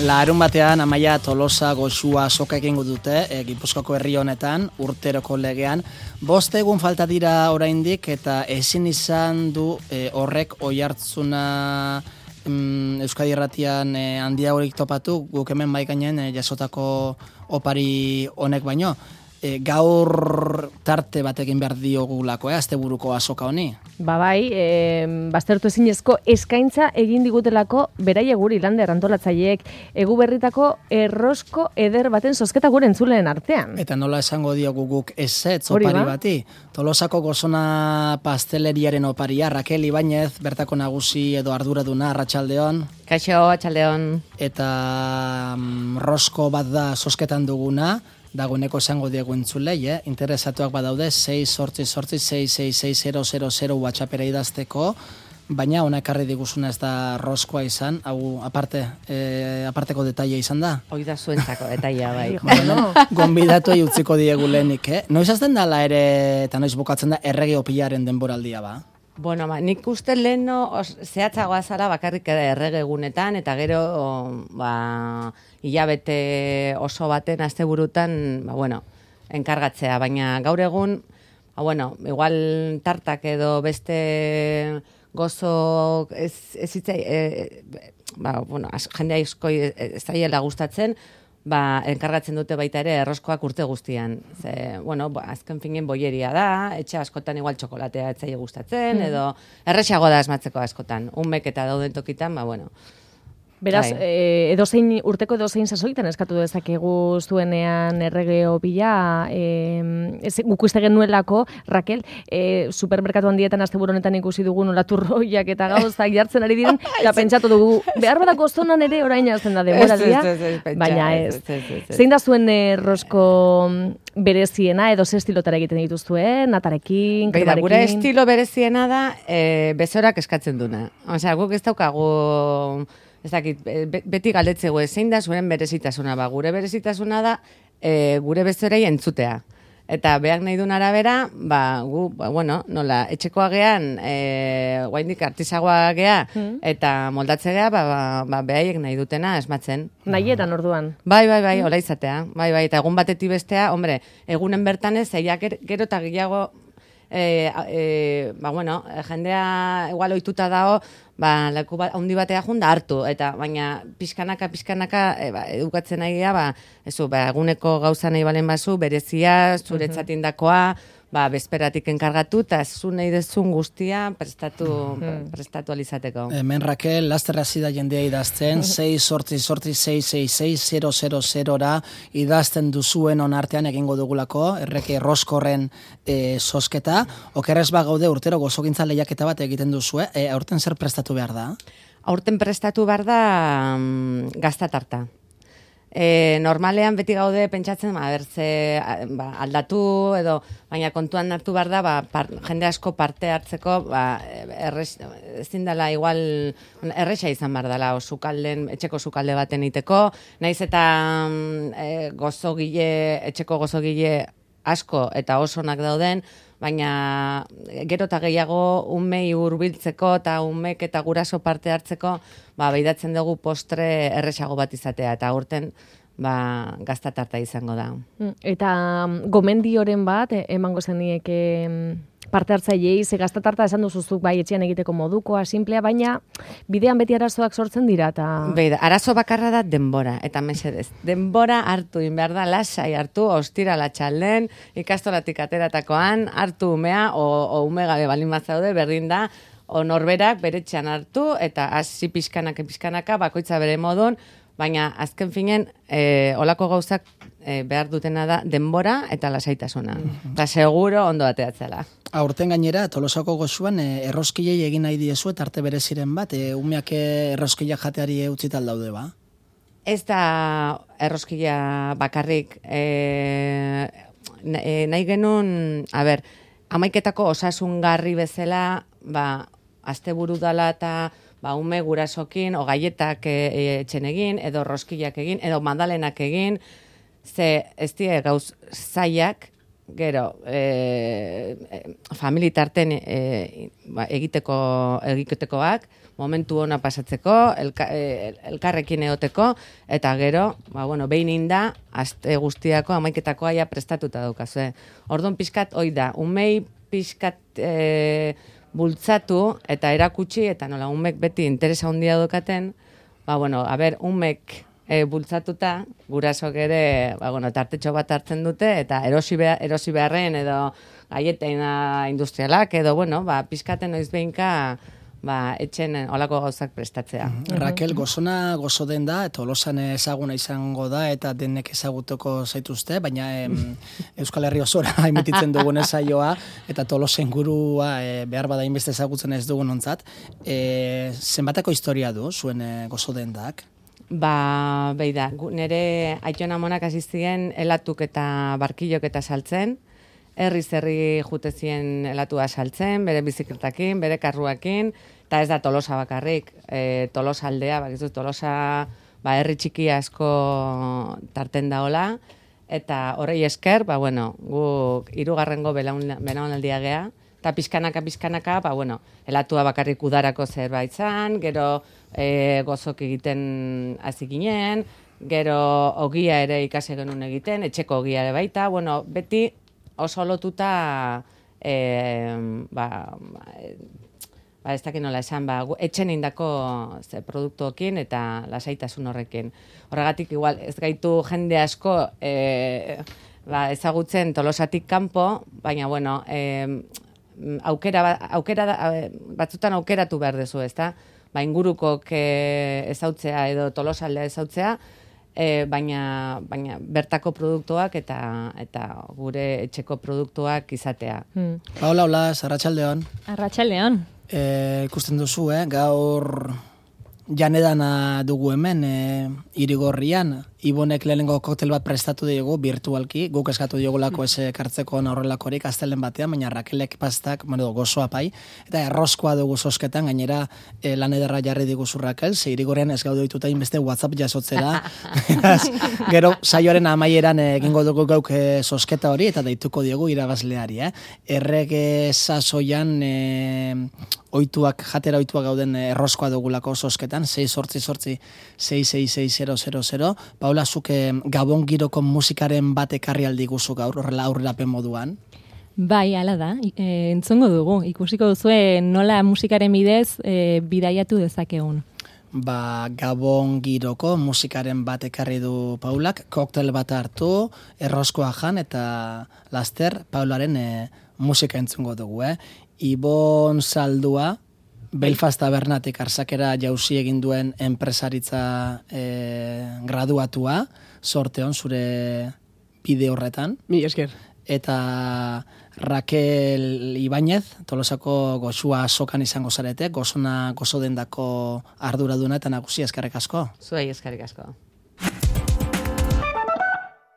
Larun batean Amaia, Tolosa, Goxua soka egingo dute Gipuzkoako herri honetan urteroko legean. 5 egun falta dira oraindik eta ezin izan du horrek oihartzuna Euskadi Irratian handiagorik topatu, guk hemen bai gainen jasotako opari honek baino. Gaur tarte bat egin behar diogulako, asteburuko azoka honi? Bai, baztertu ezinezko eskaintza egin digutelako beraie guri Lander antolatzaileek egu berritako errosko eder baten zozketa gure entzuleen artean. Eta nola esango diogu guk ezetz opari bati? Tolosako Gozona pasteleriaren oparia, Raquel Ibañez, bertako nagusi edo arduraduna, arratsaldeon. Kaixo, arratsaldeon. Eta rosko bat da zozketan duguna, dagoeneko esango diegu entzulei, interesatuak badaude 688-666-000 WhatsAppera idazteko, baina ona ekarri diguzuna ez da roskoa izan, hau aparteko detaila izan da? Hoi da zuentzako detaila, bai. Bueno, gonbidatu utziko diegu lehenik, Noiz azten dala ere, eta noiz bukatzen da, errege opilaren denboraldia ba? Bueno, nik uste leheno zehatzagoa zara bakarrik errege egunetan, eta gero hilabete oso baten asteburutan, enkargatzea, baina gaur egun, igual tartak edo beste gozo jende asko ez daiela gustatzen, enkargatzen dute baita ere erroskoak urte guztian. Azken finen boieria da, etxe askotan igual txokolatea etzaile gustatzen, edo erresago da asmatzeko askotan. Unmek eta dauden tokitan, Beraz, urteko edozein sasoitan eskatu dezakegu zuenean errege opila, guk uste genuelako, Raquel, supermerkatu handietan asteburu honetan ikusi dugu nola turroiak eta gauzak jartzen ari diren, eta pentsatu dugu, behar badak Gozonan ere orain jazten da denboraldia, baina ez. Zein da zuen rosko bereziena, edo ze estilotara egiten dituzuen, natarekin, kremarekin? Gure estilo bereziena da, bezorak eskatzen duna. Osea, guk ez daukagu... Ez dakit, beti galdetzegu zein da zuen berezitasuna, gure berezitasuna da gure bezorei entzutea. Eta behar nahi duen arabera, nola, etxekoa gean, guaindik artisagoa gea, eta moldatze gea, behaiek nahi dutena esmatzen. Nahietan orduan. Bai, hola izatea. Bai, eta egun batetik bestea, egunen bertanez, eiak gero eta gehiago, jendea igual ohituta dago, leku handi batea junda hartu, eta baina pixkanaka edukatzen nahi gea, eguneko gauza nahi balen bazu, berezia, zuretzat indakoa, bezperatik enkargatu, eta zu nahi dezun guztia prestatu alizateko. Hemen Raquel, lasterra zida jendea idazten, 688-666-000 idazten duzuen onartean egingo dugulako, erreke roskorren zozketa. Okerrez gaude urtero gozogintza lehiaketa bat egiten duzue, aurten zer prestatu behar da? Aurten prestatu behar da gaztatarta. Normalean beti gaude pentsatzen, aldatu edo, baina kontuan hartu behar da, jende asko parte hartzeko, ezin dela igual, erresa izan behar dela, etxeko sukalde baten iteko, naiz eta etxeko gozogile asko eta osonak dauden, baina gero eta gehiago unmei hurbiltzeko eta unmek eta guraso parte hartzeko, behidatzen dugu postre erresago bat izatea, eta urten gaztatarta izango da. Eta gomendioren bat, emango zenieke parte hartzailei, ze gaztatarta esan duzuzuk etxean egiteko modukoa, simplea, baina bidean beti arazoak sortzen dira. Arazo bakarra da denbora, eta mesedez. Denbora hartu behar da, lasai hartu, ostira latxalden, ikastolatik ateratakoan, hartu umea, o ume gabe balin bazaude, berdin da, o norberak beretxean hartu, eta hasi pixkanaka, bakoitza bere modun, baina azken finen, olako gauzak behar dutena da denbora eta lasaitasuna. Eta seguro ondo bateatzela. Aurten gainera, Tolosako Goxuan erroskilei egin nahi diezu eta arte bereziren bat, umeak erroskilak jateari utzital daude ba? Ez da erroskila bakarrik. Nahi genuen, amaiketako osasungarri bezala, asteburu dala eta ume gurasokin, o gaietak etxen egin, edo roskilak egin, edo mandalenak egin, ze ez die gauz zaiak, gero, familitarten egitekoak, momentu ona pasatzeko, elkarrekin egoteko, eta gero, behin inda, aste guztiako amaiketakoa ja prestatuta daukazue. Orduan pixkat, hoi da, umei pixkat bultzatu eta erakutsi, eta nola, umek beti interesa handia daukaten, umek bultzatuta, gurasok ere, tartetxo bat hartzen dute, eta erosi beharren, edo gaietena industrialak, edo, pixkaten noiz behinka, etxen olako gauzak prestatzea. Raquel, gozona gozo den da, eta Tolosan ezaguna izango da, eta denek ezagutuko zaituzte, baina Euskal Herri osora emititzen dugun saioa, eta Tolosen gurua behar bada inbeste ezagutzen ez dugun ontzat. Zenbatako historia du, zuen gozo den dak? Beida, nire aitona monak azizien elatuk eta barkilok eta saltzen, herri jutezien elatua saltzen, bere bizikletakin, bere karruakin, eta ez da Tolosa bakarrik, Tolosa aldea, Tolosa herri txiki asko tarten daola, eta horrei esker, guk 3. belaunaldia gea, eta pizkanaka, elatua bakarrik udarako zerbait zan, gero gozok egiten hasi ginen, gero ogia ere ikasi genuen egiten, etxeko ogia ere baita, beti oso lotuta ez dakit nola esan, etxen indako produktuokin eta lasaitasun horrekin. Horregatik, igual, ez gaitu jende asko ezagutzen Tolosatik kanpo, baina, batzutan aukeratu behar dezu, ezta? Ingurukok ezautzea edo Tolosaldea ezautzea, baina bertako produktuak eta gure etxeko produktuak izatea. Hola, arratsaldeon. Arratsaldeon. Ikusten duzu, gaur janedana dugu hemen, Irigorrian, Ibonek lehenengo koktel bat prestatu dugu, virtualki, guk eskatu diogulako ez kartzeko horrelakorik astelen batean, baina Rakelek pastak, gozoa pai, eta erroskoa dugu zosketan, gainera lan ederra jarri diguzu Rakel, ze Irigorrian ez gaude dituta inbeste WhatsApp jasotzera, gero saioaren amaieran egingo dugu gauk zosketa hori, eta deituko diogu irabazleari, Errege sasoian jatera oituak gauden erroskoa dugulako zosketan, 688-666-000. Paula, zuke Gabon giroko musikaren bat ekarri aldi guzu gaur, horrela aurrerapen moduan? Bai, ala da, entzongo dugu. Ikusiko duzue nola musikaren bidez bidaiatu dezakegun. Gabon giroko musikaren bat ekarri du Paulak, koktel bat hartu, erroskoa jan, eta laster Paularen musika entzungo dugu, Ibon Zaldua, Belfast Tabernatik arsakera jauzi egin duen enpresaritza graduatua, sorteon zure bide horretan. Mi esker. Eta Raquel Ibáñez, Tolosako goxua sokan izango zarete, gozo dendako arduraduna eta nagusia eskerrik asko. Zuei eskerrik asko.